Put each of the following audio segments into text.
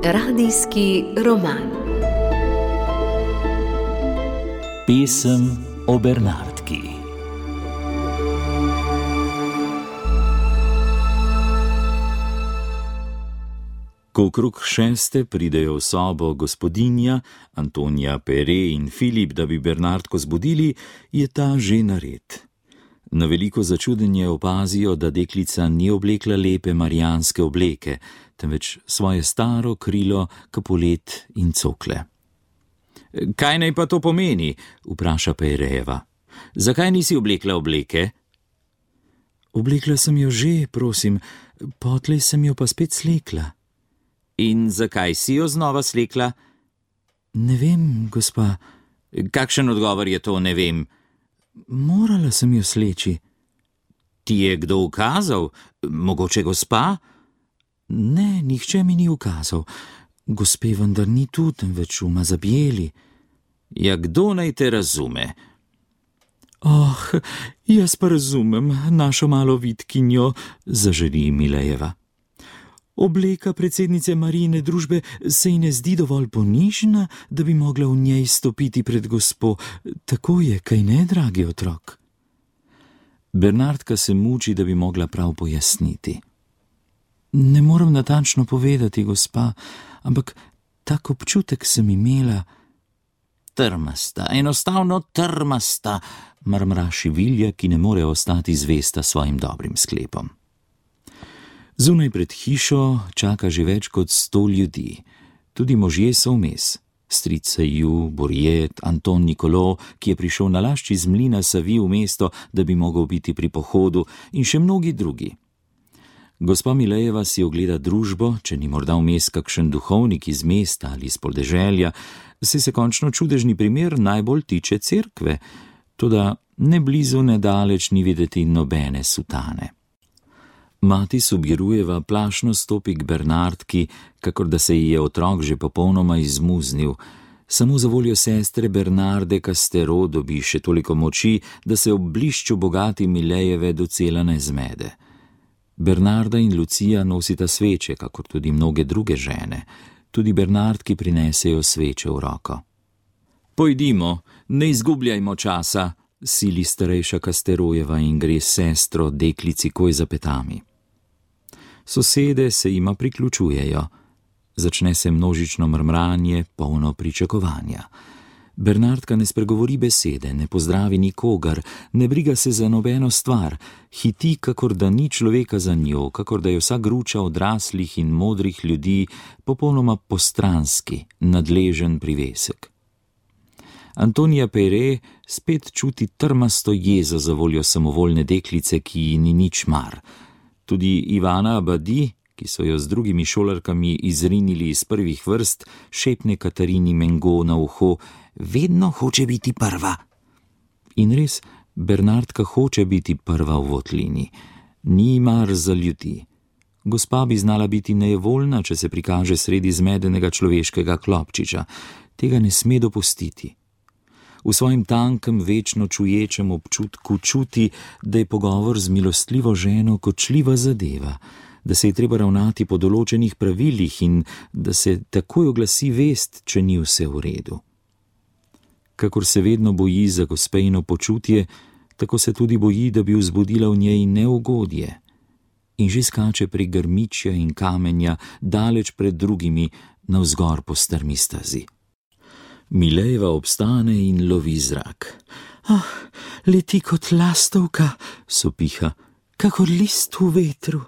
Radijski roman. Pesem o Bernardki. Ko okrog 6. pridejo v sobo gospodinja, Antonija Pere in Filip, da bi Bernardko zbudili, je ta že nared. Na veliko začudenje opazijo, da deklica ni oblekla lepe marijanske obleke, temveč svoje staro krilo, kapolet in cokle. Kaj naj pa to pomeni? Vpraša Perejeva. Zakaj nisi oblekla obleke? Oblekla sem jo že, prosim, potlej sem jo pa spet slekla. In zakaj si jo znova slekla? Ne vem, gospa. Kakšen odgovor je to, ne vem? Morala sem jo sleči. Ti je kdo ukazal? Mogoče gospa? Ne, nihče mi ni ukazal. Gospe vendar ni tu, temveč v Mazabjeli. Ja, kdo naj te razume? Jaz pa razumem našo malo vitkinjo, zaželi Milejeva. Obleka predsednice Marijine družbe se ji ne zdi dovolj ponižna, da bi mogla v njej stopiti pred gospo. Tako je, kaj ne, dragi otrok? Bernardka se muči, da bi mogla prav pojasniti. Ne moram natančno povedati, gospa, ampak tak občutek sem imela. Trmasta, enostavno trmasta, mrmraši Vilja, ki ne more ostati zvesta svojim dobrim sklepom. Zunaj pred hišo čaka že več kot 100 ljudi. Tudi možje so vmes. Stric Seju, Borjet, Anton Nikolo, ki je prišel na lašč iz mlina Savi v mesto, da bi mogel biti pri pohodu, in še mnogi drugi. Gospa Milejeva si ogleda družbo, če ni morda vmes kakšen duhovnik iz mesta ali iz podeželja, se končno čudežni primer najbolj tiče cerkve, toda ne blizu ne daleč ni videti nobene sutane. Mati Subirujeva plašno stopi k Bernardki, kakor da se ji je otrok že popolnoma izmuznil. Samo za voljo sestre Bernarde Castero dobi še toliko moči, da se ob blišču bogati Milejeve docela ne zmede. Bernarda in Lucija nosita sveče, kakor tudi mnoge druge žene. Tudi Bernardki prinesejo sveče v roko. Pojdimo, ne izgubljajmo časa, sili starejša Casterojeva in gre s sestro deklici koj za petami. Sosede se jima priključujejo. Začne se množično mrmranje, polno pričakovanja. Bernardka ne spregovori besede, ne pozdravi nikogar, ne briga se za nobeno stvar, hiti, kakor da ni človeka za njo, kakor da je vsa gruča odraslih in modrih ljudi popolnoma postranski, nadležen privesek. Antonija Pere spet čuti trmasto jezo za voljo samovoljne deklice, ki ji ni nič mar. Tudi Ivana Abadi, ki so jo z drugimi šolarkami izrinili iz prvih vrst, šepne Katarini Mengo na uho, vedno hoče biti prva. In res, Bernardka hoče biti prva v votlini. Ni mar za ljudi. Gospa bi znala biti nejevoljna, če se prikaže sredi zmedenega človeškega klopčiča. Tega ne sme dopustiti. V svojem tankem, večno čuječem občutku čuti, da je pogovor z milostljivo ženo kočljiva zadeva, da se je treba ravnati po določenih pravilih in da se takoj oglasi vest, če ni vse v redu. Kakor se vedno boji za gospejno počutje, tako se tudi boji, da bi vzbudila v njej neugodje. In že skače prek grmičja in kamenja, daleč pred drugimi, navzgor po strmi stezi. Milejeva obstane in lovi zrak. Leti kot lastovka, sopiha, kakor list v vetru.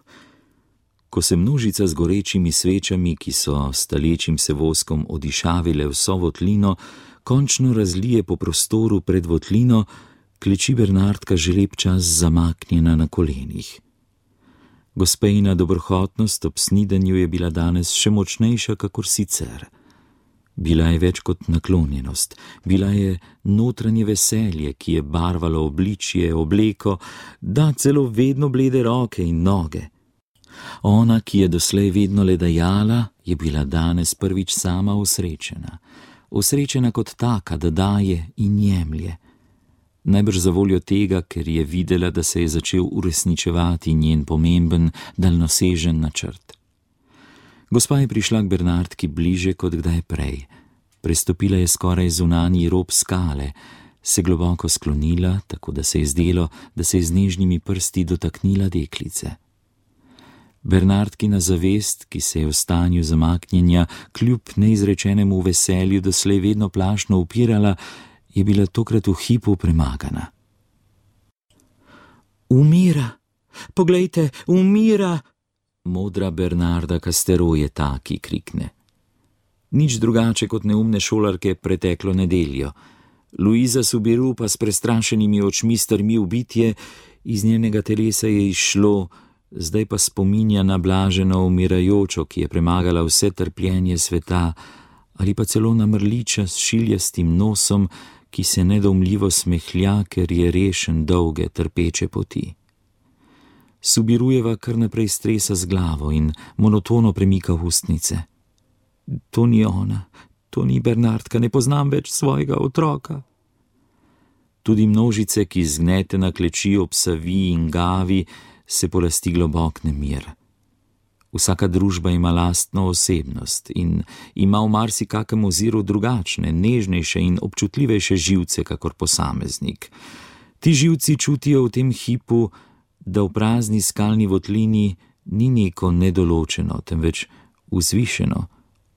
Ko se množica z gorečimi svečami, ki so stalečim se voskom odišavile vso votlino, končno razlije po prostoru pred votlino, kleči Bernardka že lep čas zamaknjena na kolenih. Gospejna dobrohotnost ob snidanju je bila danes še močnejša kakor sicer. Bila je več kot naklonjenost, bila je notranje veselje, ki je barvalo obličje, obleko, da celo vedno blede roke in noge. Ona, ki je doslej vedno le dajala, je bila danes prvič sama osrečena. Osrečena kot taka, da daje in jemlje. najbrž zavoljo tega, ker je videla, da se je začel uresničevati njen pomemben, daljnosežen načrt. Gospa je prišla k Bernardki bliže kot kdaj prej. Prestopila je skoraj zunanji rob skale, se globoko sklonila, tako da se je zdelo, da se je z nežnimi prsti dotaknila deklice. Bernardkina zavest, ki se je v stanju zamaknjenja kljub neizrečenemu veselju doslej vedno plašno upirala, je bila tokrat v hipu premagana. Umira! Poglejte, umira! Modra Bernarda Castero je ta, ki krikne. Nič drugače kot neumne šolarke preteklo nedeljo. Luiza Subiru pa s prestrašenimi očmi strmi v bitje, iz njenega telesa je izšlo, zdaj pa spominja na blaženo umirajočo, ki je premagala vse trpljenje sveta, ali pa celo na mrliča s šiljastim nosom, ki se nedoumljivo smehlja, ker je rešen dolge trpeče poti. Subirujeva kar naprej stresa z glavo in monotono premika ustnice. To ni ona, to ni Bernardka, ne poznam več svojega otroka. Tudi množice, ki zgnetena kleči ob Savi in Gavi, se polasti globok nemir. Vsaka družba ima lastno osebnost in ima v marsikakem oziru drugačne, nežnejše in občutljivejše živce, kakor posameznik. Ti živci čutijo v tem hipu, da v prazni skalni votlini ni neko nedoločeno, temveč vzvišeno,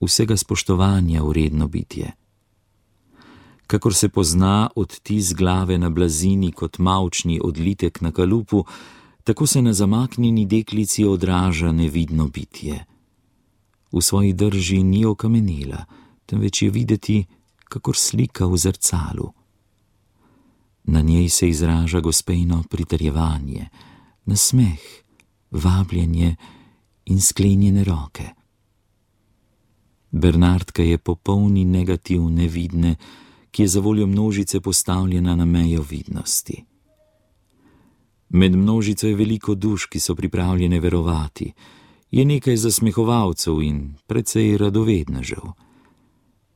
vsega spoštovanja vredno bitje. Kakor se pozna odtis glave na blazini kot mavčni odlitek na kalupu, tako se na zamaknjeni deklici odraža nevidno bitje. V svoji drži ni okamenela, temveč je videti, kakor slika v zrcalu. Na njej se izraža gospejno pritrjevanje, nasmeh, vabljenje in sklenjene roke. Bernardka je popolni negativ nevidne, ki je zavoljo množice postavljena na mejo vidnosti. Med množico je veliko duš, ki so pripravljene verovati, je nekaj zasmehovalcev in precej radovednežev.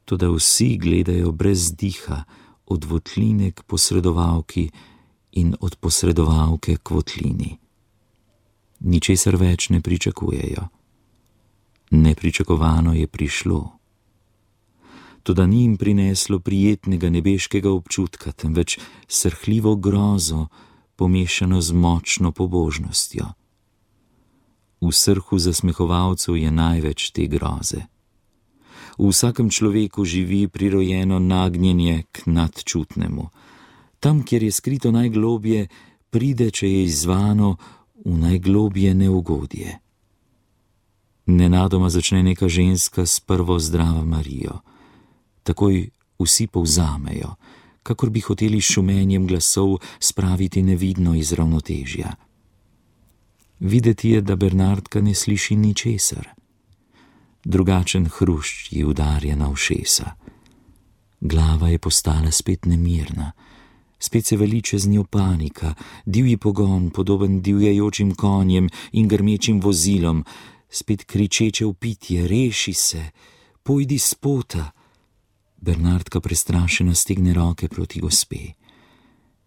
Toda vsi gledajo brez diha od votline k posredovalki in od posredovalke k votlini. Ničesar več ne pričakujejo. Nepričakovano je prišlo. Toda ni jim prineslo prijetnega nebeškega občutka, temveč srhljivo grozo, pomešano z močno pobožnostjo. V srhu zasmehovalcev je največ te groze. V vsakem človeku živi prirojeno nagnjenje k nadčutnemu. Tam, kjer je skrito najglobje, pride, če je izzvano, v najglobje neugodje. Nenadoma začne neka ženska s prvo zdrava Marijo. Takoj vsi povzamejo, kakor bi hoteli s šumenjem glasov spraviti nevidno iz ravnotežja. Videti je, da Bernardka ne sliši ničesar. Drugačen hrušč ji udarja na ušesa. Glava je postala spet nemirna. Spet se vali čez njo panika, divji pogon, podoben divjajočim konjem in grmečim vozilom, spet kričeče vpitje, reši se, pojdi s pota. Bernardka prestrašena stegne roke proti gospe.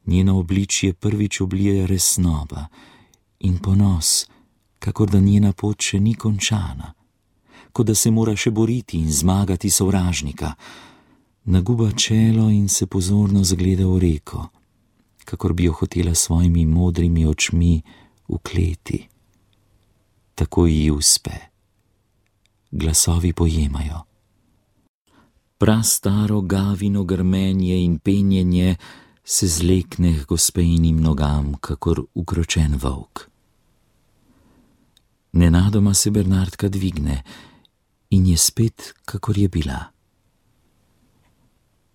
Njeno obličje prvič oblije resnoba in ponos, kakor da njena pot še ni končana, kot da se mora še boriti in zmagati sovražnika. Naguba čelo in se pozorno zagleda v reko, kakor bi jo hotela svojimi modrimi očmi ukleti. Tako ji uspe. Glasovi pojemajo. Prastaro Gavino grmenje in penjenje se zlekne k gospejnim nogam, kakor ukročen volk. Nenadoma se Bernardka dvigne in je spet, kakor je bila.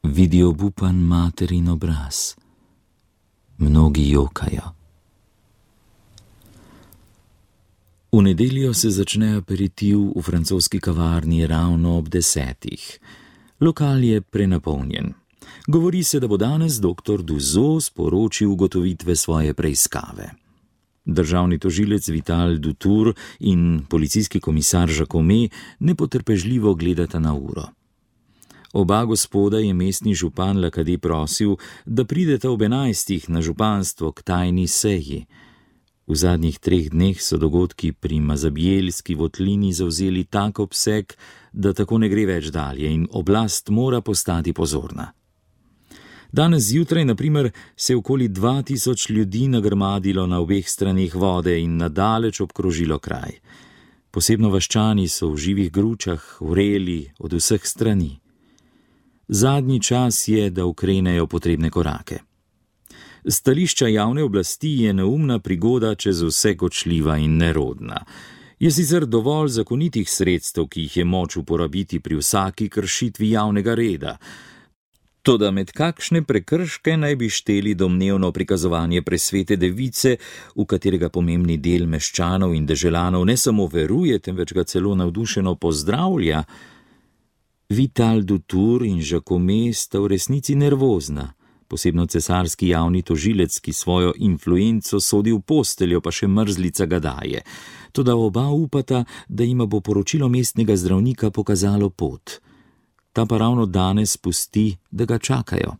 Vidi obupan materin obraz. Mnogi jokajo. V nedeljo se začne aperitiv v francoski kavarni ravno ob 10. Lokal je prenapolnjen. Govori se, da bo danes dr. Duzo sporočil ugotovitve svoje preiskave. Državni tožilec Vital Dutour in policijski komisar Jacome nepotrpežljivo gledata na uro. Oba gospoda je mestni župan Lakadi prosil, da prideta ob 11. na županstvo k tajni seji. V zadnjih 3 dneh so dogodki pri Mazabjelski votlini zavzeli tak obseg, da tako ne gre več dalje in oblast mora postati pozorna. Danes zjutraj, na primer, se je okoli 2000 ljudi nagrmadilo na obeh straneh vode in nadaleč obkrožilo kraj. Posebno vaščani so v živih gručah vreli od vseh strani. Zadnji čas je, da ukrenejo potrebne korake. Stališča javne oblasti je neumna prigoda čez vse kočljiva in nerodna. Je sicer dovolj zakonitih sredstev, ki jih je moč uporabiti pri vsaki kršitvi javnega reda. Toda med kakšne prekrške naj bi šteli domnevno prikazovanje presvete device, v katerega pomembni del meščanov in deželanov ne samo veruje, temveč ga celo navdušeno pozdravlja. Vital Dutour in Jacome sta v resnici nervozna, posebno cesarski javni tožilec, ki svojo influenco sodi v posteljo, pa še mrzlica ga daje. Toda oba upata, da jima bo poročilo mestnega zdravnika pokazalo pot. Ta pa ravno danes pusti, da ga čakajo.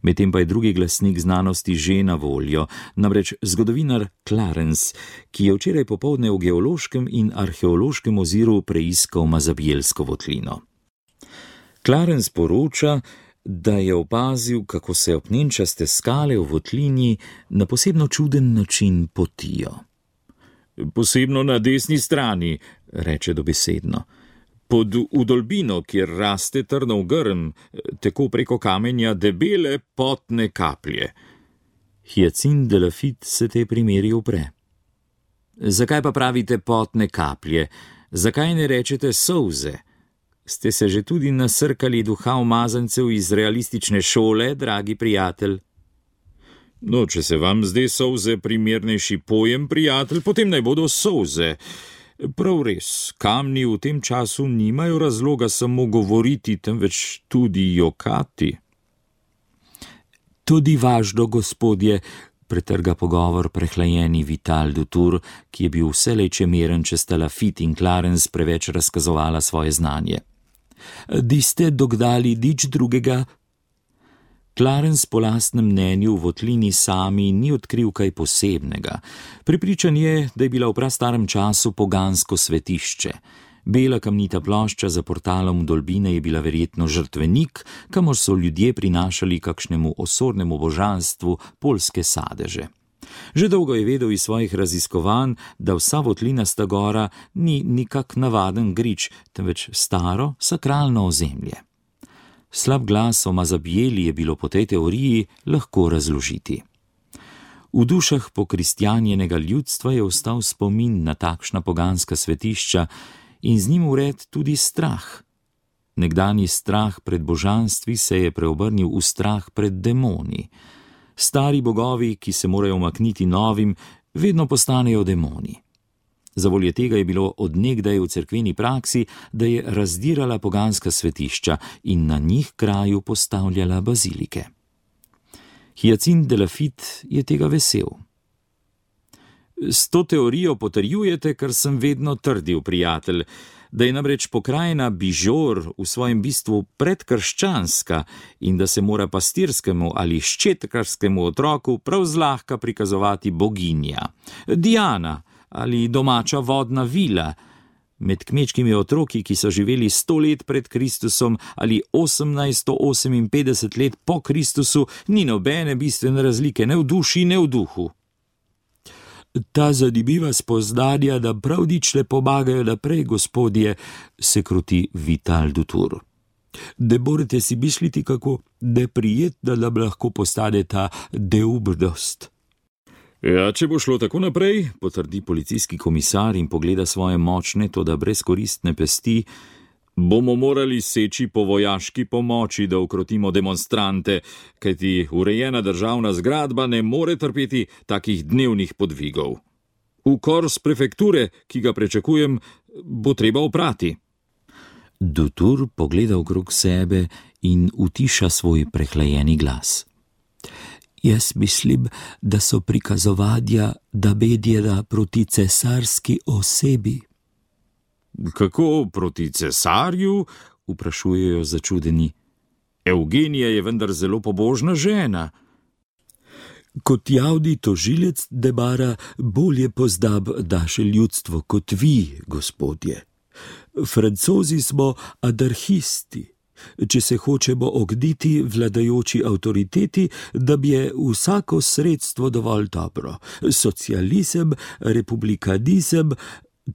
Medtem pa je drugi glasnik znanosti že na voljo, namreč zgodovinar Clarence, ki je včeraj popoldne v geološkem in arheološkem oziru preiskal Mazabjelsko votlino. Clarence poroča, da je opazil, kako se opnenčaste skale v votlini na posebno čuden način potijo. Posebno na desni strani, reče dobesedno. Pod vdolbino, kjer raste trnov grm, tako preko kamenja debele potne kaplje. Hyacinthe de Lafitte se te primeri upre. Zakaj pa pravite potne kaplje? Zakaj ne rečete solze? Ste se že tudi nasrkali duha umazancev iz realistične šole, dragi prijatelj? No, če se vam zdi solze primernejši pojem, prijatelj, potem naj bodo solze. Prav res, kamni v tem času nimajo razloga samo govoriti, temveč tudi jokati. Tudi važno, gospodje, pretrga pogovor prehlajeni Vital Dutour, ki je bil vselej čemeren, če sta Lafitte in Clarence preveč razkazovala svoje znanje. Di ste dogdali nič drugega? Clarence po lastnem mnenju v votlini sami ni odkril kaj posebnega. Prepričan je, da je bila v prastarem času pogansko svetišče. Bela kamnita plošča za portalom vdolbine je bila verjetno žrtvenik, kamor so ljudje prinašali kakšnemu osornemu božanstvu poljske sadeže. Že dolgo je vedel iz svojih raziskovanj, da vsa votlinasta gora ni nikak navaden grič, temveč staro sakralno ozemlje. Slab glas o Mazabjeli je bilo po tej teoriji lahko razložiti. V dušah pokristjanjenega ljudstva je ostal spomin na takšna poganska svetišča in z njim vred tudi strah. Nekdanji strah pred božanstvi se je preobrnil v strah pred demoni. Stari bogovi, ki se morajo umakniti novim, vedno postanejo demoni. Zavolje tega je bilo od nekdaj v cerkveni praksi, da je razdirala poganska svetišča in na njih kraju postavljala bazilike. Hyacinthe de Lafitte je tega vesel. S to teorijo potrjujete, kar sem vedno trdil, prijatelj, da je namreč pokrajina Bižor v svojem bistvu predkrščanska in da se mora pastirskemu ali ščetkarskemu otroku prav zlahka prikazovati boginja, Diana ali domača vodna vila. Med kmečkimi otroki, ki so živeli 100 let pred Kristusom ali 1858 let po Kristusu, ni nobene bistvene razlike ne v duši, ne v duhu. Ta zanimiva spoznanja nam prav nič ne pomagajo naprej, gospodje, se kruti Vital Dutour. Ne morete si misliti, kako neprijetna nam lahko postane ta neumnost. Ja, če bo šlo tako naprej, potrdi policijski komisar in pogleda svoje močne, toda brezkoristne pesti, bomo morali seči po vojaški pomoči, da ukrotimo demonstrante, kajti urejena državna zgradba ne more trpeti takih dnevnih podvigov. Ukor z prefekture, ki ga pričakujem, bo treba oprati. Dutour pogleda okrog sebe in utiša svoj prehlajeni glas. Jaz mislim, da so prikazovanja namenjena proti cesarski osebi. Kako proti cesarju? vprašujejo začudeni. Evgenija je vendar zelo pobožna žena. Kot javni tožilec Debara bolje poznam naše ljudstvo kot vi, gospodje. Francozi smo anarhisti. Če se hočemo ogniti vladajoči avtoriteti, da bi je vsako sredstvo dovolj dobro. Socializem, republikanizem,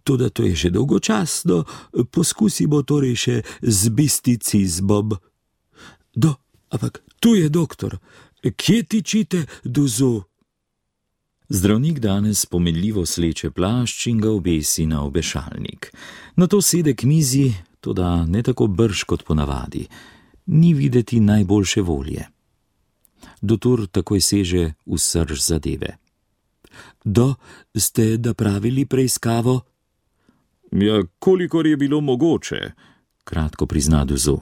toda to je že dolgočasno, poskusimo torej še z misticizmom. Ampak tu je doktor. Kje tičite, Duzu? Zdravnik danes pomenljivo sleče plašč in ga obesi na obešalnik. Nato sede k mizi, toda ne tako brž kot ponavadi. Ni videti najboljše volje. Doktor takoj seže v srž zadeve. Ste napravili preiskavo? Ja, kolikor je bilo mogoče, kratko prizna Duzu.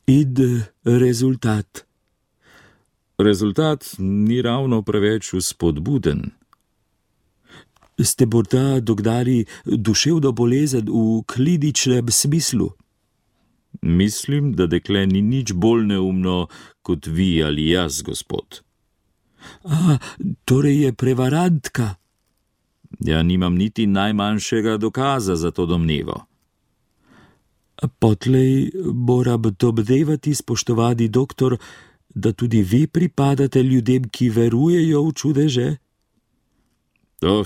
In rezultat? Rezultat ni ravno preveč vzpodbuden. Ste morda dognali duševno bolezen v kliničnem smislu? Mislim, da dekle ni nič bolj neumno kot vi ali jaz, gospod. Torej je prevarantka? Ja, nimam niti najmanjšega dokaza za to domnevo. Potlej moram domnevati, spoštovani doktor, da tudi vi pripadate ljudem, ki verujejo v čudeže?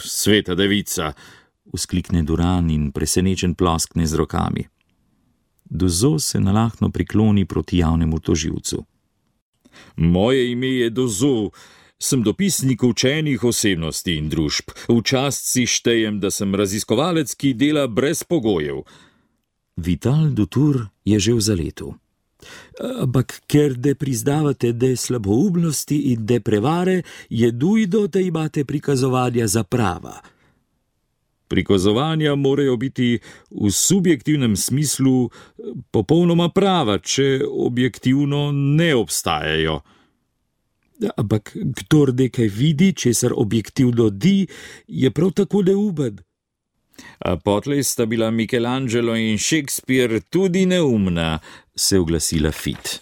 Sveta devica, vzklikne Duran in presenečen ploskne z rokami. Duzo se nalahno prikloni proti javnemu tožilcu. Moje ime je Duzo, sem dopisnik učenih osebnosti in družb. V čast si štejem, da sem raziskovalec, ki dela brez pogojev. Vital Dutour je že v zaletu. Ampak ker ne priznavate de slaboumnosti in de prevare, je nujno, da imate prikazovanja za prava. Prikazovanja morajo biti v subjektivnem smislu popolnoma prava, če objektivno ne obstajajo. Ampak kdor nekaj vidi, česar objektivno di, je prav tako neumen. Potlej sta bila Michelangelo in Shakespeare tudi neumna, se oglasila Fit.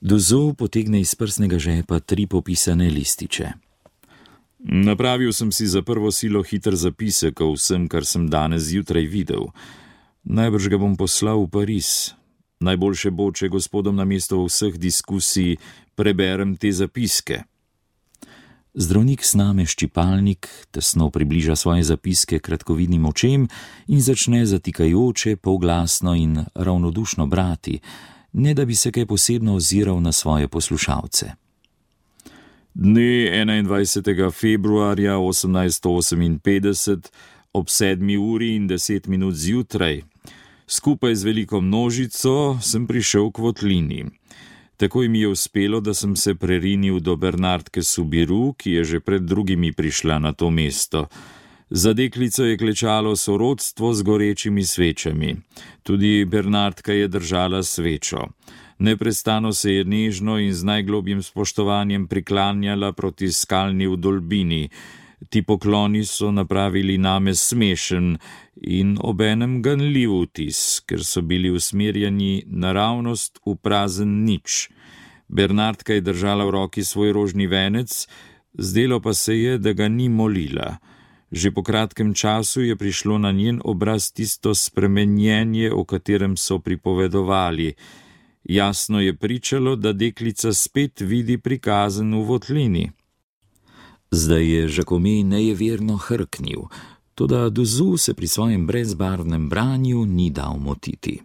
Duzo potegne iz prsnega žepa 3 popisane lističe. Napravil sem si za prvo silo hiter zapisek o vsem, kar sem danes zjutraj videl. Najbrž ga bom poslal v Pariz. Najboljše bo, če gospodom namesto vseh diskusij preberem te zapiske. Zdravnik sname ščipalnik, tesno približa svoje zapiske kratkovidnim očem in začne zatikajoče, polglasno in ravnodušno brati, ne da bi se kaj posebno oziral na svoje poslušalce. Dne 21. februarja 1858 ob 7:10 zjutraj, skupaj z veliko množico, sem prišel k votlini. Takoj mi je uspelo, da sem se prerinil do Bernardke Subiru, ki je že pred drugimi prišla na to mesto. Za deklico je klečalo sorodstvo z gorečimi svečami. Tudi Bernardka je držala svečo. Neprestano se je nežno in z najglobjim spoštovanjem priklanjala proti skalni vdolbini. Ti pokloni so napravili name smešen in obenem ganljiv vtis, ker so bili usmerjeni naravnost v prazen nič. Bernardka je držala v roki svoj rožni venec, zdelo pa se je, da ga ni molila. Že po kratkem času je prišlo na njen obraz tisto spremenjenje, o katerem so pripovedovali. Jasno je pričalo, da deklica spet vidi prikazen v votlini. Zdaj je Žakomej nejeverno hrknil, toda Duzu se pri svojem brezbarvnem branju ni dal motiti.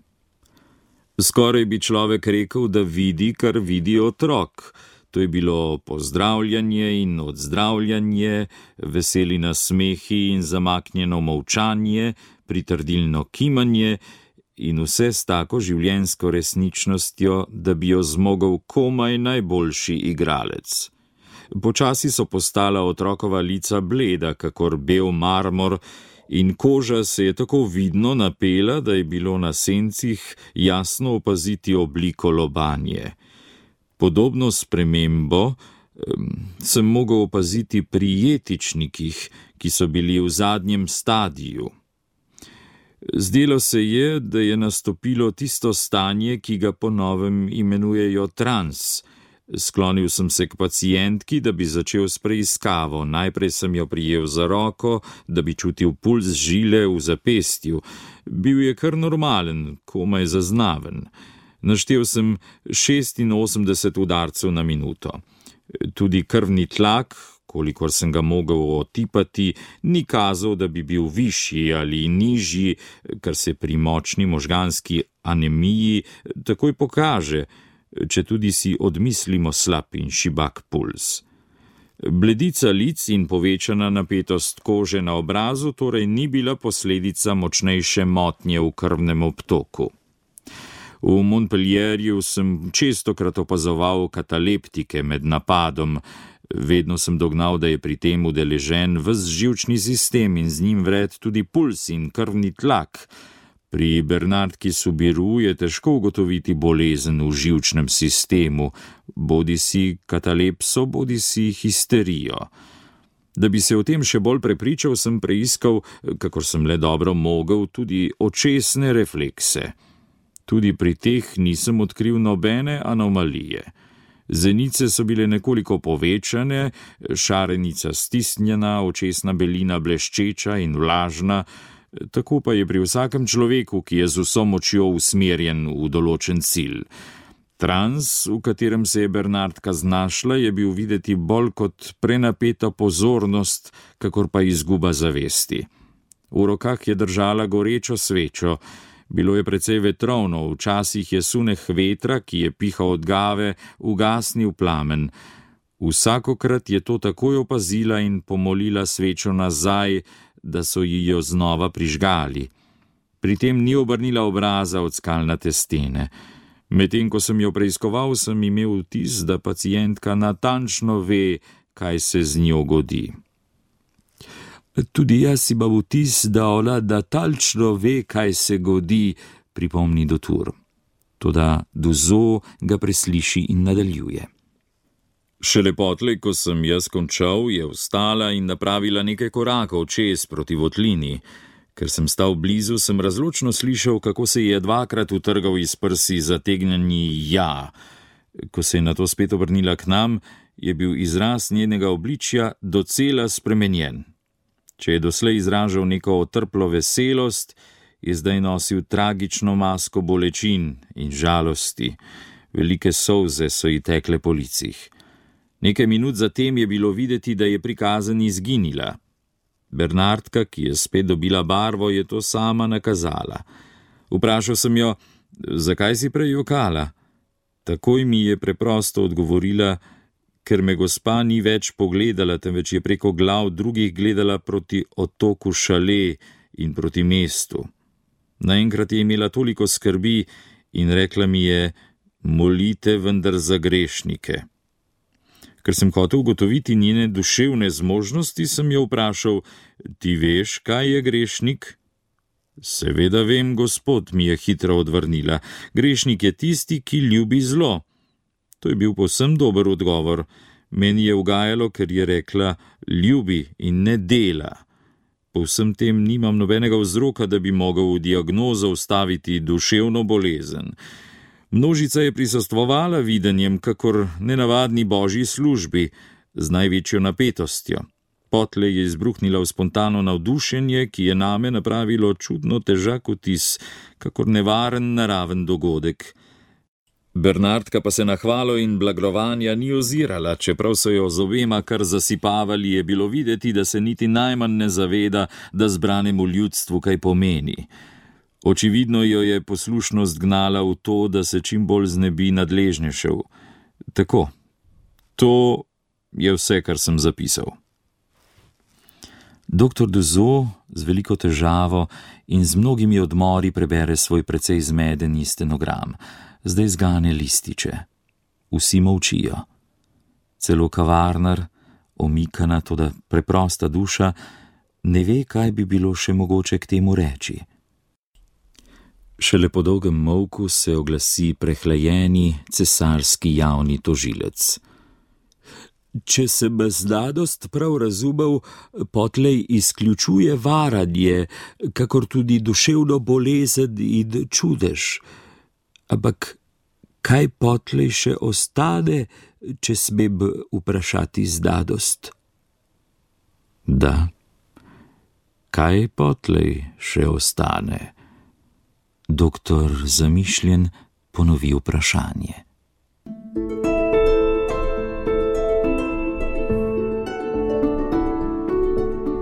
Skoraj bi človek rekel, da vidi, kar vidi otrok. To je bilo pozdravljanje in odzdravljanje, veseli nasmehi in zamaknjeno molčanje, pritrdilno kimanje in vse s tako življenjsko resničnostjo, da bi jo zmogel komaj najboljši igralec. Počasi so postala otrokova lica bleda, kakor bel marmor, in koža se je tako vidno napela, da je bilo na sencih jasno opaziti obliko lobanje. Podobno spremembo sem mogel opaziti pri jetičnikih, ki so bili v zadnjem stadiju. Zdelo se je, da je nastopilo tisto stanje, ki ga po novem imenujejo trans. Sklonil sem se k pacientki, da bi začel s preiskavo. Najprej sem jo prijel za roko, da bi čutil puls žile v zapestju. Bil je kar normalen, komaj zaznaven. Naštel sem 86 udarcev na minuto. Tudi krvni tlak, kolikor sem ga mogel otipati, ni kazal, da bi bil višji ali nižji, kar se pri močni možganski anemiji takoj pokaže, če tudi si odmislimo slab in šibak puls. Bledica lic in povečana napetost kože na obrazu torej ni bila posledica močnejše motnje v krvnem obtoku. V Montpellierju sem čestokrat opazoval kataleptike med napadom. Vedno sem dognal, da je pri tem udeležen ves živčni sistem in z njim vred tudi puls in krvni tlak. Pri Bernardki Soubirous je težko ugotoviti bolezen v živčnem sistemu, bodisi katalepso, bodisi histerijo. Da bi se o tem še bolj prepričal, sem preiskal, kakor sem le dobro mogel, tudi očesne reflekse. Tudi pri teh nisem odkril nobene anomalije. Zenice so bile nekoliko povečane, šarenica stisnjena, očesna belina bleščeča in vlažna, tako pa je pri vsakem človeku, ki je z vso močjo usmerjen v določen cilj. Trans, v katerem se je Bernardka znašla, je bil videti bolj kot prenapeta pozornost, kakor pa izguba zavesti. V rokah je držala gorečo svečo. Bilo je precej vetrovno, včasih je sunek vetra, ki je pihal od gave, ugasnil plamen. Vsakokrat je to takoj opazila in pomolila svečo nazaj, da so ji jo znova prižgali. Pri tem ni obrnila obraza od skalnate stene. Medtem ko sem jo preiskoval, sem imel vtis, da pacientka natančno ve, kaj se z njo godi. Tudi jaz imam vtis, da ona natančno ve, kaj se godi, pripomni Dutour. Toda Douzeau ga presliši in nadaljuje. Šele potlej, ko sem jaz končal, je vstala in napravila nekaj korakov čez proti votlini. Ker sem stal blizu, sem razločno slišal, kako se je dvakrat utrgal iz prsi zategnjeni ja. Ko se je nato spet obrnila k nam, je bil izraz njenega obličja docela spremenjen. Če je doslej izražal neko otrplo veselost, je zdaj nosil tragično masko bolečin in žalosti. Velike solze so ji tekle po licih. Nekaj minut zatem je bilo videti, da je prikazen izginila. Bernardka, ki je spet dobila barvo, je to sama nakazala. Vprašal sem jo, zakaj si prej jokala? Takoj mi je preprosto odgovorila, ker me gospa ni več pogledala, temveč je preko glav drugih gledala proti otoku Šale in proti mestu. Naenkrat je imela toliko skrbi in rekla mi je, molite vendar za grešnike. Ker sem hotel ugotoviti njene duševne zmožnosti, sem jo vprašal, ti veš, kaj je grešnik? Seveda vem, gospod, mi je hitro odvrnila. Grešnik je tisti, ki ljubi zlo. To je bil povsem dober odgovor. Meni je ugajalo, ker je rekla, ljubi in ne dela. Po vsem tem nimam nobenega vzroka, da bi mogel v diagnozo vstaviti duševno bolezen. Množica je prisostvovala videnjem, kakor nenavadni božji službi, z največjo napetostjo. Potlej je izbruhnila v spontano navdušenje, ki je name napravilo čudno težak vtis, kakor nevaren naraven dogodek. Bernardka pa se na hvalo in blagrovanja ni ozirala, čeprav so jo z obema kar zasipavali, je bilo videti, da se niti najmanj ne zaveda, da zbranemu ljudstvu kaj pomeni. Očividno jo je poslušnost gnala v to, da se čim bolj znebi nadležnejšev. Tako, to je vse, kar sem zapisal. Doktor Douzeau z veliko težavo in z mnogimi odmori prebere svoj precej zmedeni stenogram. Zdaj zgane lističe. Vsi molčijo. Celo kavarnar, omikana, toda preprosta duša, ne ve, kaj bi bilo še mogoče k temu reči. Šele po dolgem molku se oglasi prehlajeni cesarski javni tožilec. Če sem znanost prav razumel, potlej izključuje varanje, kakor tudi duševno bolezen in čudež. Ampak kaj potlej še ostane, če smem vprašati znanost? Da, kaj potlej še ostane? Doktor zamišljen ponovi vprašanje.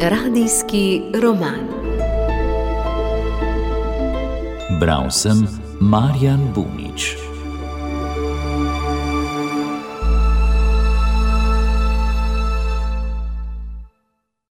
Radijski roman. Bral sem Marjan Bunič.